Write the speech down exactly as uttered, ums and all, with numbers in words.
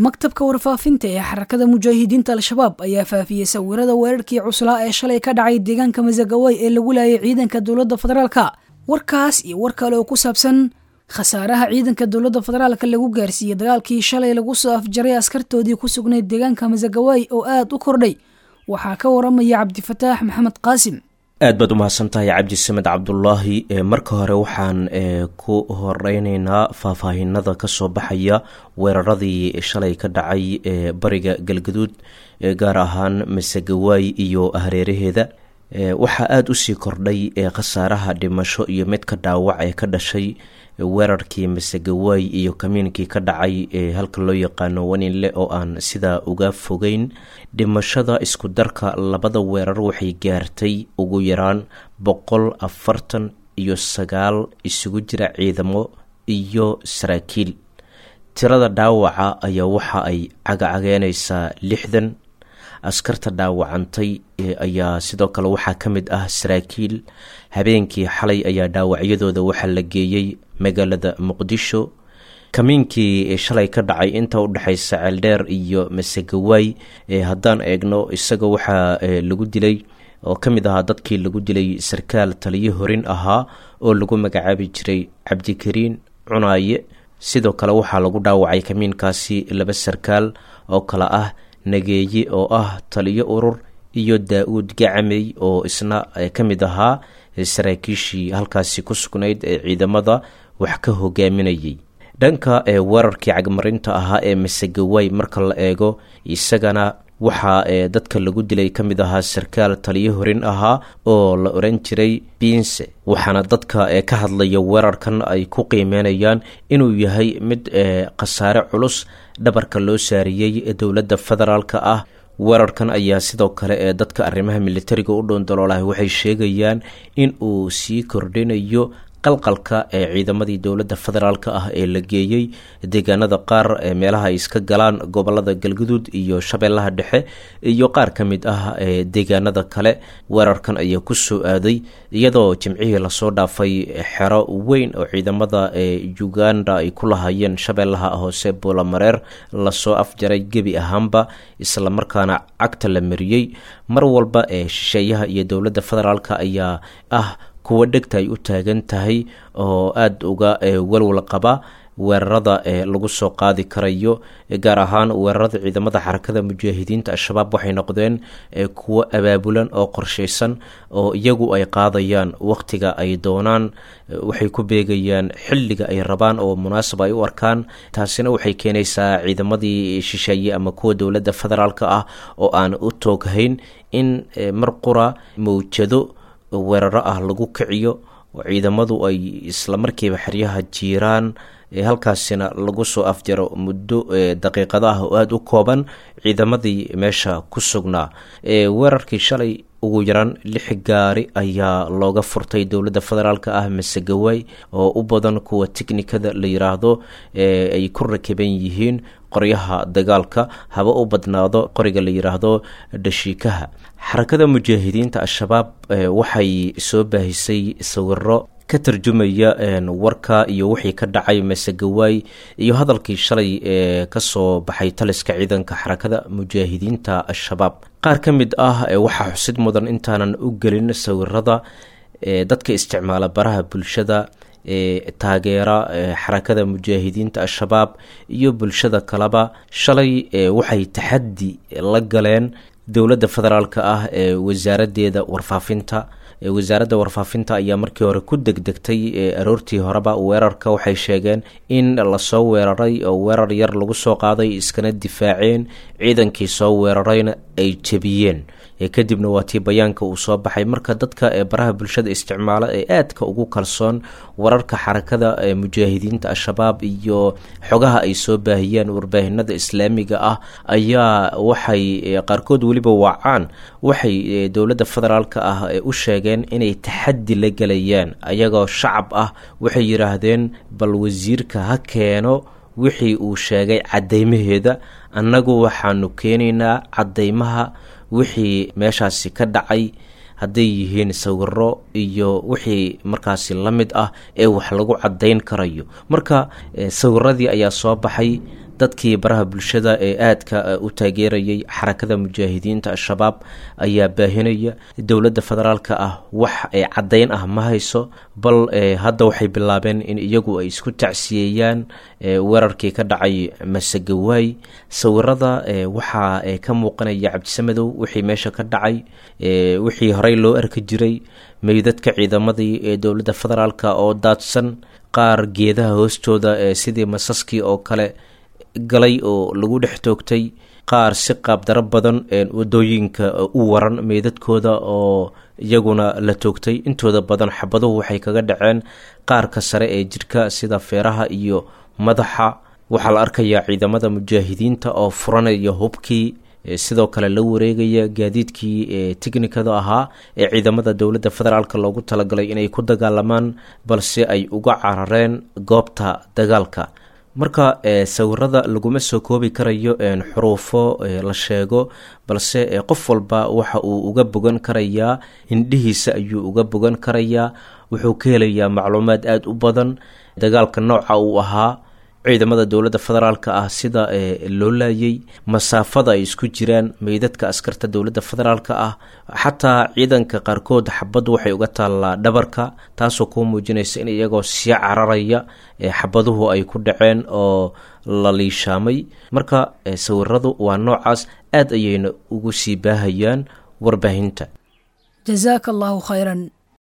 Maktabka warfaafinta ee Xarakada Mujaahidiinta Al-Shabaab ayaa faafiyey sawirada weerarkii cuslaa ee shalay ka dhacay deegaanka Masagaway ee lagu laayay ciidanka dowladda federaalka. Warkaas iyo war kale oo ku saabsan khasaaraha ciidanka dowladda federaalka lagu gaarsiiyey dagaalkii shalay lagu soo afjaray askartoodii ku sugnayd deegaanka Masagaway oo aad u kordhay, waxaa ka waramaya Cabdifataax Maxamed Qaasim. Aad baad umahadsan tahay, Cabdisamed Cabdulaahi. Marka hore waxaan ku horeyneynaa faahfaahinada kasoo baxaya weeraradii shalay ka dhacay ee bariga Galgaduud, gaar ahaan Masegawaay iyo hareeraheeda. Waxaa aada usii kordhay khasaaraha dhimasho iyo midka dhaawac ee ka dhashay weerarkii Masegawaay iyo kamiinkii ka dhacay ee halka loo yaqaano Waninle oo aan sidaa uga fogeyn. Dhimashada isku darka labada weerar waxay gaartay ugu yaraan boqol afartan iyo sagaal isugu jira ciidamo iyo saraakiil. Tirada dhaawaca ayaa waxa ay cagacageenaysaa lixdan. Askarta dhaawacantay ayaa sidoo kale waxaa ka mid ah saraakiil. Habeenkii xalay ayaa dhaawacyadooda waxaa la geeyey magaalada Muqdisho. Kamiinkii shalay ka dhacay inta udhexaysa Ceeldheer iyo Masegawaay haddaan eegno, isaga waxaa lagu dilay oo ka mid ahaa dadkii lagu dilay sarkaal taliyo horin ahaa oo lagu magacaabi jiray Cabdikariin Cunaaye. Sidoo kale waxaa lagu dhaawacay kamiinkaasi laba sarkaal oo kale ah Nageeye oo ah taliyo urur iyo Daa-uud Gacamey oo isna ka mid ahaa saraakiishii halkaasi ku sugnayd ee ciidamada wax ka hogaaminayay. Dhanka ee weerarkii cagmarinta ahaa ee Masegawaay marka la eego, isagana waxaa ee dadka lagu dilay ka mid ahaa sarkaal taliyo horin ahaa oo la oran jiray Biinse, waxaana dadka ee ka hadlaya weerarkan ay ku qiimeynayaan inuu yahay mid ee khasaare culus dhabarka loo saariyey dowladda federaalka ah. Weerarkan ayaa sidoo kale ee dadka arrimaha militariga u dhoondaloolahay waxay sheegayaan in uu sii kordhinayo qalqalka ee ciidamadii dowladda federaalka ah ee la geeyey deegaanada qaar ee meelaha ay iska galaan gobolada Galguduud iyo Shabeellaha Dhexe iyo qaar ka mid ah ee deegaanada kale. Weerarkan ayaa ku soo aaday iyadoo Jimcihii lasoo dhaafay xero weyn oo ciidamada ee Uganda ay ku lahaayeen Shabeellaha Hoose, Buulamareer, lasoo afjaray gebi ahaanba, islamarkaana cagta la mariyey. Mar walba ee shisheeyaha iyo dowladda federaalka ayaa ah kuwa dhegta ay u taagan tahay oo aada uga walwal qaba weerarada ee lagu soo qaadi karayo, gaar ahaan weerarada ciidamada Xarakada Mujaahidiinta Al-Shabaab waxay noqdeen kuwo abaabulan oo qorshaysan oo iyagu ay qaadayaan waqtiga ay doonaan, waxay ku beegayaan xilliga ay rabaan oo munaasab ay u arkaan. Taasina waxay keenaysaa ciidamadii shisheeye ama kuwa dowladda federaalka ah oo aan u tooghayn in mar qura mawjado weeraro ah lagu kiciyo oo ciidamadu ay islamarkiiba xeryaha jiiraan, halkaasina lagu soo afjaro muddo daqiiqada ah oo aada u kooban ciidamadii meesha ku sugnaa. Weerarkii shalay ugu yaraan lix gaari ayaa looga furtay dowladda federaalka ah Masegawaay, oo u badan kuwa tiknikada la yiraahdo ay ku rakiban yihiin qoryaha dagaalka, haba u badnaado qoriga la yiraahdo dhashiikaha. Xarakada Mujaahidiinta Al-Shabaab waxay soo baahisay sawiro ka tarjumaya warka iyo wixii ka dhacay Masegawaay iyo hadalkii shalay ee kasoo baxay taliska ciidanka Xarakada Mujaahidiinta Al-Shabaab. Qaar ka mid ah waxaa xusid mudan, intaanan u gelin sawirada, dadka isticmaala baraha bulshada ee taageera Xarakada Mujaahidiinta Al-Shabaab iyo bulshada kaleba shalay waxay taxaddi la galeen dowladda federaalka ah ee wasaaraddeeda warfaafinta. Wasaaradda warfaafinta ayaa markii hore ku degdegtay aroortii horeba weerarka. Waxay sheegeen in lasoo weeraray oo weerar yar lagu soo qaaday, iskana difaaceen, ciidankii soo weerarayna ay jebiyeen. Kadibna waa tii bayaanka uu soo baxay. Marka dadka ee baraha bulshada isticmaala ee aadka ugu kalsoon wararka Xarakada ee Mujaahidiinta Al-Shabaab iyo xogaha ay soo baahiyaan warbaahinada islaamiga ah ayaa waxay qaarkood weliba wacaan, waxay dowladda federaalka ah u sheegeen inay taxaddi la gelayaan ayagoo shacab ah. Waxay yidhaahdeen, bal wasiirka ha keeno wixii uu sheegay caddeymaheeda, annagu waxaanu keenaynaa caddeymaha wixii meeshaasi ka dhacay, hadday yihiin sawiro iyo wixii markaasi la mid ah ee wax lagu caddayn karayo. Marka sawiradii ayaa soo baxay, Dadkii baraha bulshada ee aadka u taageerayay Xarakada Mujaahidiinta Al-Shabaab ayaa baahinaya. Dowladda federaalka ah wax caddayn ah ma hayso, bal hadda waxay bilaabeen in iyagu ay isku tacsiyeeyaan weerarkii ka dhacay Masagawaay. Sawirada waxaa ka muuqanaya, Cabdisamadow, wixii meesha ka dhacay, wixii horey loo arki jiray, meydadka ciidamadii ee dowladda federaalka oo daadsan, qaar geedaha hoostooda sidii masaskii oo kale galay oo lagu dhex toogtay, qaar si qaabdaro badan wadooyinka u waran meydadkooda oo iyaguna la toogtay. Intooda badan xabaduhu waxay kaga dhaceen qaarka sare ee jirka sida feeraha iyo madaxa. Waxaa la arkayaa ciidamada mujaahidiinta oo furanaya hubkii, sidoo kale la wareegaya gaadiidkii tiknikada ahaa ee ciidamada dowladda federaalk loogu talagalay inay ku dagaalamaan, balse ay uga carareen goobta dagaalka. Marka sawirada laguma soo koobi karayo xuruufo la sheego, balse qof walba waxa uu uga bogan karayaa indhihiisa ayuu uga bogan karayaa. Wuxuu ka helayaa macluumaad aada u badan dagaalka nooca uu ahaa, ciidamada dowladda federaalka ah sida loo laayay, masaafada ay isku jiraan meydadka askarta dowladda federaalka ah. Xataa ciidanka qaarkood xabaddu waxay uga taallaa dhabarka, taasoo kuu muujinaysa in iyagoo sii cararaya xabaduhu ay ku dhaceen oo la liishaamay. Marka sawiradu waa noocaas, aad ayayna ugu sii baahayaan warbaahinta. Jazaaka allahu khayran.